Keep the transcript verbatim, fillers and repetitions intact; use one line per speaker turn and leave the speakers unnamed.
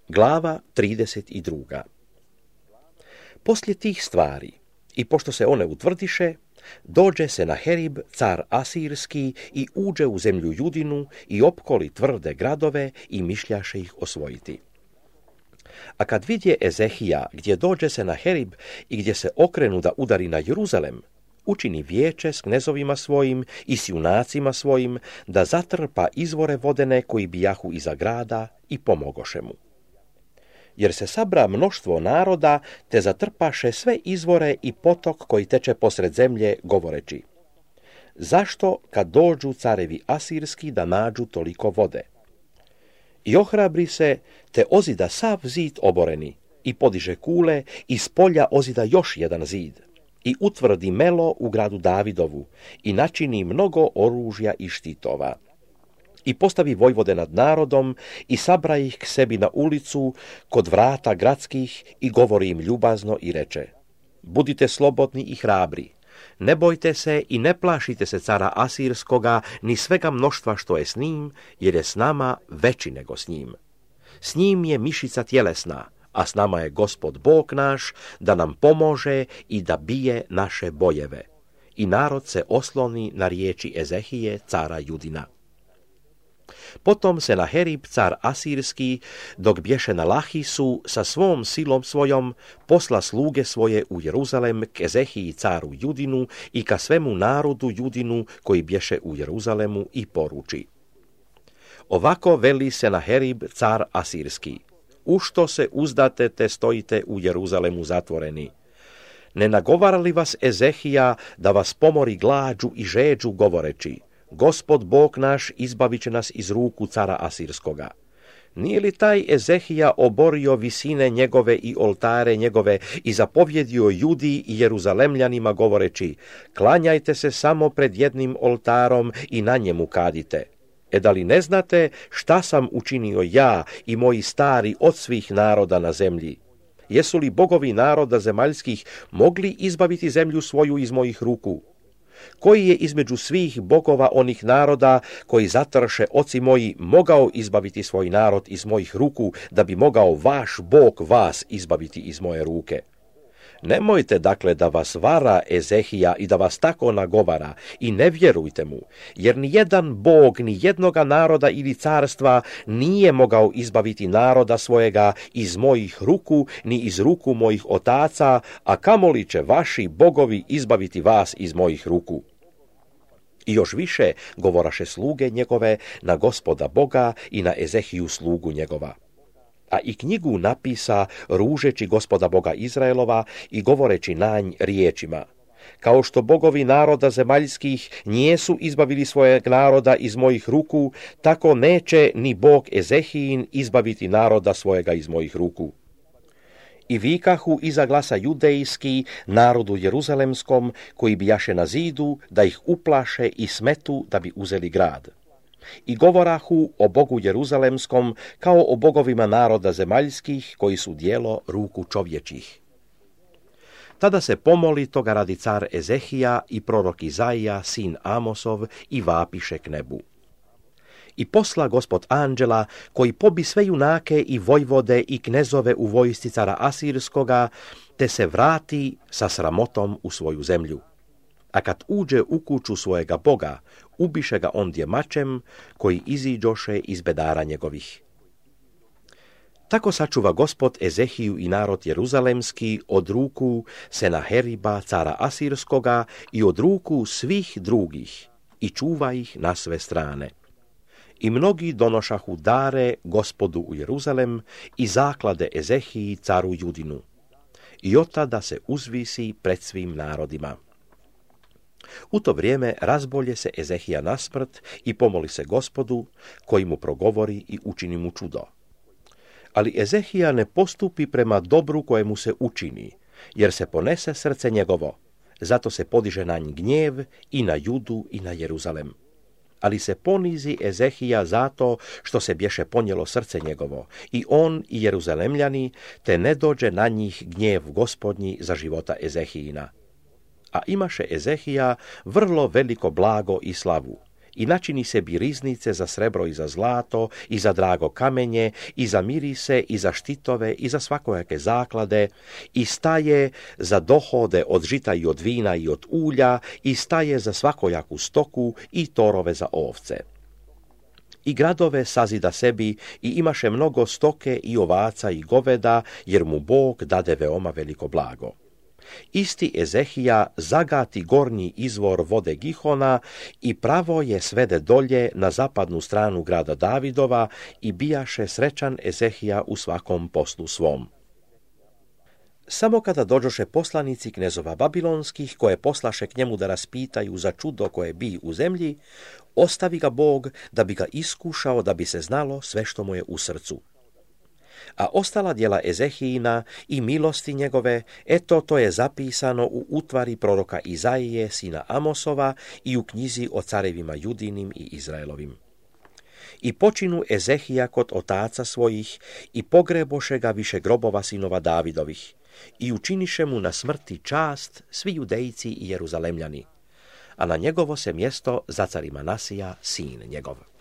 Glava trideset dva. Poslije tih stvari, i pošto se one utvrdiše, dođe Senaherib, car Asirski, i uđe u zemlju Judinu i opkoli tvrde gradove i mišljaše ih osvojiti. A kad vidje Ezehija gdje dođe Senaherib i gdje se okrenu da udari na Jeruzalem, učini vijeće s knezovima svojim i s junacima svojim da zatrpa izvore vodene koji bijahu iza grada i pomogoše mu. Jer se sabra mnoštvo naroda, te zatrpaše sve izvore i potok koji teče posred zemlje, govoreći: zašto kad dođu carevi Asirski da nađu toliko vode? I ohrabri se, te ozida sav zid oboreni, i podiže kule, i s polja ozida još jedan zid, i utvrdi melo u gradu Davidovu, i načini mnogo oružja i štitova. I postavi vojvode nad narodom i sabra ih k sebi na ulicu kod vrata gradskih i govori im ljubazno i reče: budite slobodni i hrabri, ne bojte se i ne plašite se cara Asirskoga ni svega mnoštva što je s njim, jer je s nama veći nego s njim. S njim je mišica tjelesna, a s nama je Gospod Bog naš da nam pomože i da bije naše bojeve. I narod se osloni na riječi Ezehije, cara Judina. Potom Senaherib, car Asirski, dok bješe na Lahisu, sa svom silom svojom, posla sluge svoje u Jeruzalem k Ezehiji, caru Judinu, i ka svemu narodu Judinu koji bješe u Jeruzalemu, i poruči: ovako veli Senaherib, car Asirski: ušto se uzdate te stojite u Jeruzalemu zatvoreni? Ne nagovara li vas Ezehija da vas pomori glađu i žeđu, govoreći: Gospod Bog naš izbavit će nas iz ruku cara Asirskoga? Nije li taj Ezehija oborio visine njegove i oltare njegove i zapovjedio Judi i Jeruzalemljanima, govoreći: klanjajte se samo pred jednim oltarom i na njemu kadite? E da li ne znate šta sam učinio ja i moji stari od svih naroda na zemlji? Jesu li bogovi naroda zemaljskih mogli izbaviti zemlju svoju iz mojih ruku? Koji je između svih bogova onih naroda koji zatrše oci moji mogao izbaviti svoj narod iz mojih ruku, da bi mogao vaš Bog vas izbaviti iz moje ruke? Nemojte dakle da vas vara Ezehija i da vas tako nagovara, i ne vjerujte mu, jer ni jedan Bog ni jednoga naroda ili carstva nije mogao izbaviti naroda svojega iz mojih ruku ni iz ruku mojih otaca, a kamoli će vaši bogovi izbaviti vas iz mojih ruku. I još više govoraše sluge njegove na Gospoda Boga i na Ezehiju slugu njegova. A i knjigu napisa ružeći Gospoda Boga Izraelova i govoreći na nj riječima: kao što bogovi naroda zemaljskih nijesu izbavili svojeg naroda iz mojih ruku, tako neće ni Bog Ezehijin izbaviti naroda svojega iz mojih ruku. I vikahu iza glasa judejski narodu jeruzalemskom, koji bijaše na zidu, da ih uplaše i smetu da bi uzeli grad. I govorahu o Bogu jeruzalemskom kao o bogovima naroda zemaljskih, koji su djelo ruku čovječih. Tada se pomoli toga radi car Ezehija i prorok Izaija, sin Amosov, i vapiše k nebu. I posla Gospod anđela, koji pobi sve junake i vojvode i knezove u vojsci cara Asirskoga, te se vrati sa sramotom u svoju zemlju. A kad uđe u kuću svojega Boga, ubiše ga ondje mačem, koji iziđoše iz bedara njegovih. Tako sačuva Gospod Ezehiju i narod jeruzalemski od ruku Senaheriba, cara Asirskoga, i od ruku svih drugih, i čuva ih na sve strane. I mnogi donošahu dare Gospodu u Jeruzalem i zaklade Ezehiji, caru Judinu. I od tada se uzvisi pred svim narodima. U to vrijeme razbolje se Ezehija na smrt i pomoli se Gospodu, koji mu progovori i učini mu čudo. Ali Ezehija ne postupi prema dobru kojemu se učini, jer se ponese srce njegovo, zato se podiže na nj gnjev i na Judu i na Jeruzalem. Ali se ponizi Ezehija zato što se bješe ponijelo srce njegovo, i on i Jeruzalemljani, te ne dođe na njih gnjev Gospodnji za života Ezehijina. A imaše Ezehija vrlo veliko blago i slavu, i načini sebi riznice za srebro i za zlato, i za drago kamenje, i za mirise, i za štitove, i za svakojake zaklade, i staje za dohode od žita i od vina i od ulja, i staje za svakojaku stoku i torove za ovce. I gradove sazida sebi i imaše mnogo stoke i ovaca i goveda, jer mu Bog dade veoma veliko blago. Isti Ezehija zagati gornji izvor vode Gihona i pravo je svede dolje na zapadnu stranu grada Davidova i bijaše srećan Ezehija u svakom poslu svom. Samo kada dođoše poslanici knezova babilonskih, koje poslaše k njemu da raspitaju za čudo koje bi u zemlji, ostavi ga Bog da bi ga iskušao, da bi se znalo sve što mu je u srcu. A ostala djela Ezehijina i milosti njegove, eto to je zapisano u utvari proroka Izaije, sina Amosova, i u knjizi o carevima Judinim i Izraelovim. I počinu Ezehija kod otaca svojih i pogreboše ga više grobova sinova Davidovih i učiniše mu na smrti čast svi Judejci i Jeruzalemljani, a na njegovo se mjesto zacari Manasija, sin njegov.